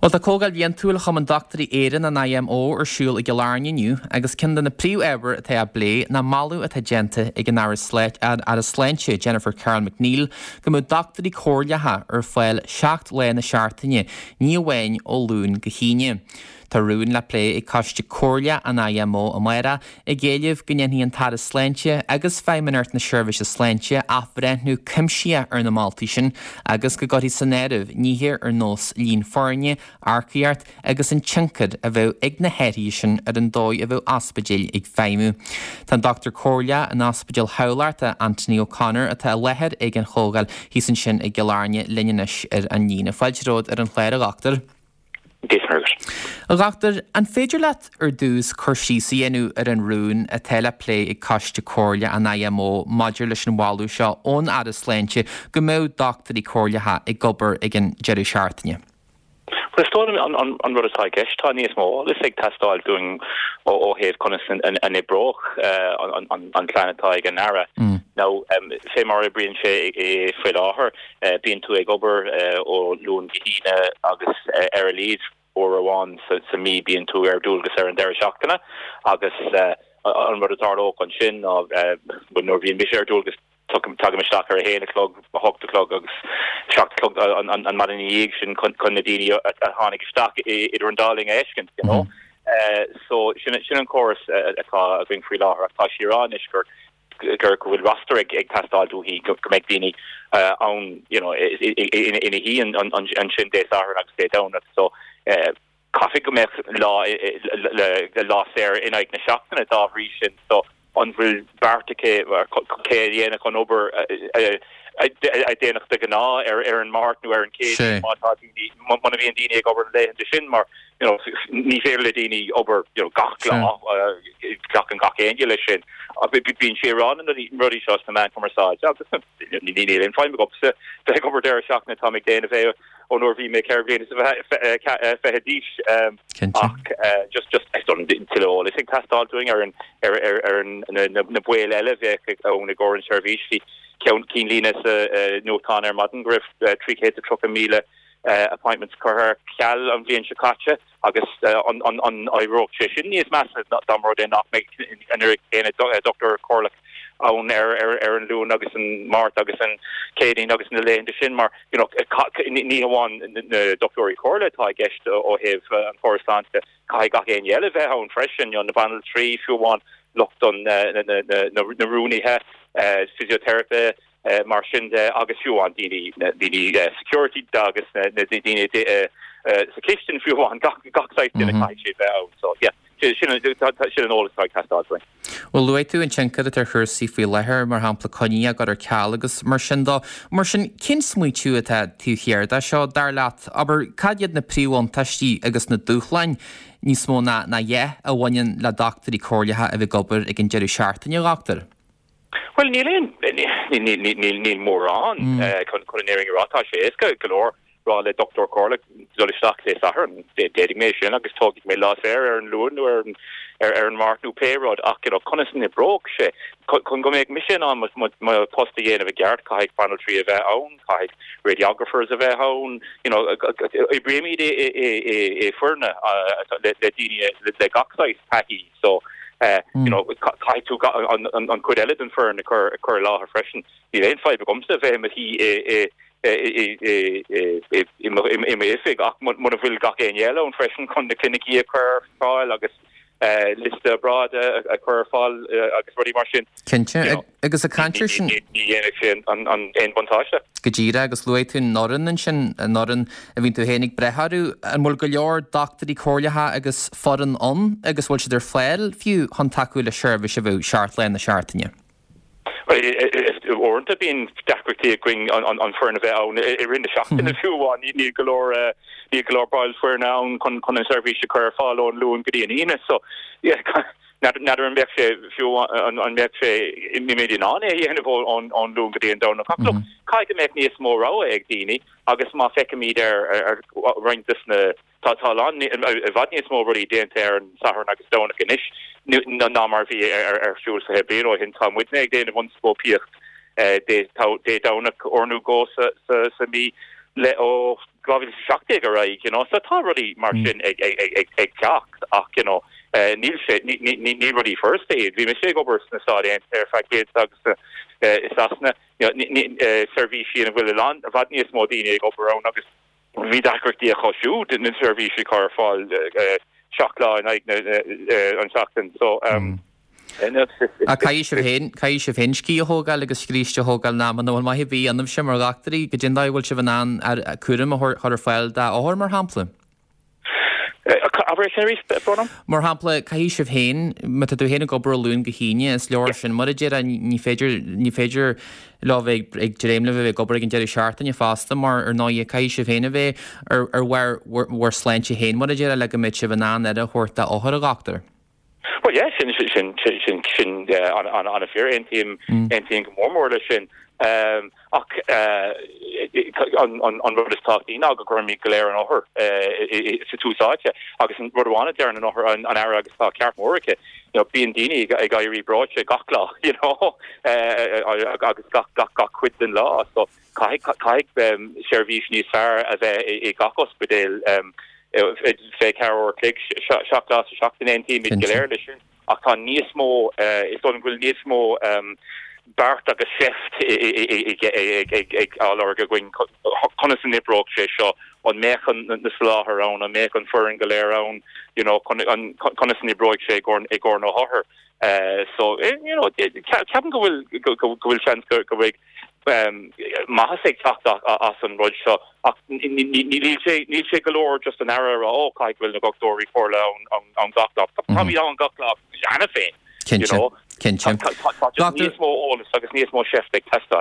Bhuel, tá Comhdháil Bhliantúil Chumann Dochtúirí Éireann, an IMO, ar siúl i gCill Airne inniu agus ceann de na príomh-ábhair atá á bplé ná moladh atá déanta ag an Aire Sláinte, Jennifer Carroll MacNeill, go mbeadh dochtúirí comhairleacha ar fáil 7 lá na seachtaine, ní amháin ó Luan go hAoine. Tá rún le plé ag Coiste Comhairleach an IMO amárach ag éileamh go ndéanfaidh an tAire Sláinte agus Feidhmeannacht na Seirbhíse Sláinte athbhreithniú cuimsitheach ar na moltaí sin agus go gcuirfí san áireamh nithe ar nós líon foirne, earcaíocht agus an tionchar a bheadh ag na hathruithe sin ar an dóigh a bheadh ospidéil ag feidhmiú. Tá an Dochtúir Comhairleach in Ospidéal Thamhlachta, Anthony O'Connor, atá i láthair ag an chomhdháil thíos ansin i gCill Airne linn anois ar an líne. Fáilte romhat ar an chlár, a Dhochtúir. Dia A Dhochtúir, an féidir leat ar dtús cur síos a dhéanamh ar an rún atá le plé ag Coiste Comhairle an IMO maidir leis an mholadh seo ón Aire Sláinte go mbeadh dochtúirí comhairleacha ag obair ag an deireadh seachtaine? Bhuel, is dóigh liom an rud atá i gceist, tá níos mó eolais ag teastáil dúinn ó thaobh conas an oibreodh an plean atá ag an Aire. Now, fé mar a oibríonn sé faoi láthair, Bíonn tú ag obair ó Luan go hAoine agus ar a laghad uair amháin sa mí bíonn tú ar dualgas ar an deireadh seachtaine agus an rud a tharlódh ansin ná nuair a bhíonn mise ar dualgas tagaim isteach ar a haon a chlog, a hocht a chlog agus seacht a chlog an maidin ina dhiaidh sin chun na daoine a tháinig isteach idir an dá linn a fheiscint, you know. So sin an córas atá againn faoi láthair ach tá sí ag rá anois gur gur go bhfuil roster ag teastáil uaithi go mbeidh daoine ann you know ina shuí ansin Dé Sathairn agus Dé Domhnaigh so caithfidh go mbeadh lá lá saor in aghaidh na seachtaine dá bhrí sin so an bhfuil beart aici cé a dhéanfadh an obair a déanadh de ghnáth ar ar an Máirt nó ar an Chéadaoin má tá daoine muna bhíonn daoine ag obair na laethanta sin mar you know ní féidir le daoine obair you know gach lá glacann gach éinne leis sin ach bíonn sí ag rá na rudaí seo sna meáin chumarsáide agus níl aon fadhb agamsa bheith ag obair deireadh seachtaine táim ag déanamh é ó nuair a bhí mé 24 bliana d'aois ach just just is dóigh liom tuilleadh eolais ag teastáil dúinn ar an ar ar ar an na baill eile a bheadh ann i gcomhair an seirbhís bhí ceann cinnlíne sa nuachtán ar maidin go raibh 330,000 appointments curtha ar ceal an bhliain seo caite agus an éireodh sé sin níos measa dá mba rud é nach mbeidh an oiread céanna dochtúir comhairleach ann ar an Luan agus an Máirt agus an Chéadaoin agus na laethanta sin mar you know ní hamháin na dochtúirí comhairle atá i gceist ó thaobh an chóras sláinte, caithfidh gach éinne eile bheith ann freisin, you know na banaltraí, fiú amháin lucht an na rúnaithe, physiotherapy, mar sin de agus fiú amháin daoine daoine security agus na daoine sa chistin fiú amháin gach gach saghas duine caithfidh siad bheith ann so yeah sin sin an eolas atá ag teastáil uainn. Bhuel luaigh tú an tionchar atá ar chúrsaí faoi láthair, mar shampla coinní á gcur ar ceal agus mar sin de. Mar sin cén smaoitiú atá taobh thiar de seo dar leat? Abair cad iad na príomhbhuntáistí agus na dúshláin níos mó ná ná a dhath a bhaineann le dochtúirí comhairleacha a bheith ag obair ag an deireadh seachtaine, a dhochtúir? Bhuel, níl aon, níl mórán chun an fhírinne a rá. Tá sé éasca go leor rá le dochtúir comhairleach dul isteach Dé Sathairn. Déanfaidh mé sin agus tógfaidh mé lá saor ar an Luan nó ar ar an Máirt nó pé rud ach you know conas an oibreodh sé? Chun go mbeadh mise in ann mo post a dhéanamh i gceart caithfidh banaltraí a bheith ann, caithfidh radiographers a bheith ann, you know oibrímid i foirne le daoine le gach saghas taithí. So, you know, caithfidh tú an chuid eile den foireann a chur i láthair freisin. Níl aon fadhb agamsa bheith i mo shuí i m'oifig ach muna bhfuil gach éinne eile ann freisin chun na clinicí a chur ar fáil agus liosta obráide a chur ar fáil agus rudaí mar sin. Cinnte. Agus ag caint air sin. Ní dhéanfaidh sé aon bhuntáiste. Go díreach, agus luaigh tú an fhoireann ansin, an fhoireann a bhíonn tú féin ag brath orthu. An bhfuil go leor dochtúirí comhairleacha agus foireann ann agus bhfuil siad ar fáil fiú chun tacú le seirbhís a bheadh seacht lá na seachtaine? Bhuel, uaireanta bíonn deacrachtaí againn an foireann a bheith ann i rith na seachtaine fiú amháin. Níl go leor níl go leor baill foirne ann chun an seirbhís a chur ar fáil ón Luan go dtí an Aoine. So, yeah, N'fheadar an mbeadh sé, fiú an mbeadh sé, an mbeimid in ann é a dhéanamh ón Luan go dtí an Domhnach. Ach look, caithfidh go mbeadh níos mó rogha ag daoine agus má feicimid ar roinnt des na, tá a lán, i bhfad níos mó rudaí déanta ar an Satharn agus Domhnach anois ná mar a bhí ar siúl 20 bliain ó shin. Tá muidne ag déanamh ionscópaíocht Dé Domhnach uair nó dhó sa mhí le ó. 2017 ar aghaidh, you know, so tá rudaí mar sin ag ag teacht ach, you know, níl sé, ní rudaí furasta iad. Bhí mise ag obair sna Stáit Aontaithe ar feadh blianta agus i Sasana, you know, seirbhísí ina bhfuil a lán, i bhfad níos mó daoine ag obair ann agus bhí deacrachtaí acu siúd na seirbhísí a chur ar fáil 7 lá in aghaidh an tseachtain. So, Ach caithfidh sibh féin, caithfidh sibh féin scíth a thógáil agus scríste a thógáil ná muna bhfuil maith ar bith ionaibhse mar dhochtúirí, goidé an dóigh a bhfuil sibh in ann cúram a chur ar fáil d'othair, mar shampla? Abair é sin arís, Brónán. Mar shampla, caithfidh sibh féin, má tá tú féin ag obair ó Luan go hAoine, is leor sin, mar a déarfá, ní féidir, ní féidir leo bheith ag dréim libh a bheith ag obair ag an deireadh seachtaine fosta mar, ar ndóighe, caithfidh sibh féin a bheith ar ar bharr bhur sláinte féin, mar a déarfá, le go mbeidh sibh in ann aire a thabhairt d'othair, a dhochtúir. Bhuel, yeah, sin, sin, sin, sin, sin an-fhíor, aontaím, aontaím go mór mór leis sin. Ach an rud is tábhachtaí ná go gcuirimid go léir an othar sa tús áite. Agus an rud amháin a deireann an othar, an Aire agus tá ceart mór aici, you know, bíonn daoine ag éirí breoite gach lá, you know, agus gach, gach, gach cuid den lá. So caithfidh, caithfidh seirbhís níos fearr a bheith i gach ospidéal 24 uair a chloig, 7 lá sa seachtain, aontaímid go léir leis sin. Ach tá níos mó, is dóigh liom go bhfuil níos mó beart agus seift á lorg againn conas a n-oibreoidh sé seo, an mbeadh na soláthair ann, an mbeadh an foireann go léir ann, you know, conas a n-oibreoidh sé i gcomhair na hothair. So, you know, ceapaim go bhfuil, go bhfuil seans go mbeidh maitheas ag teacht as an rud seo ach níl sé, níl sé go leor just an Aire a rá ó caithfidh go bhfuil na dochtúirí comhairle ann gach lá. Táimid ann gach lá cheana féin, you know. Cinnte, cinnte. Tá just níos mó eolas agus níos mó seift ag teastáil.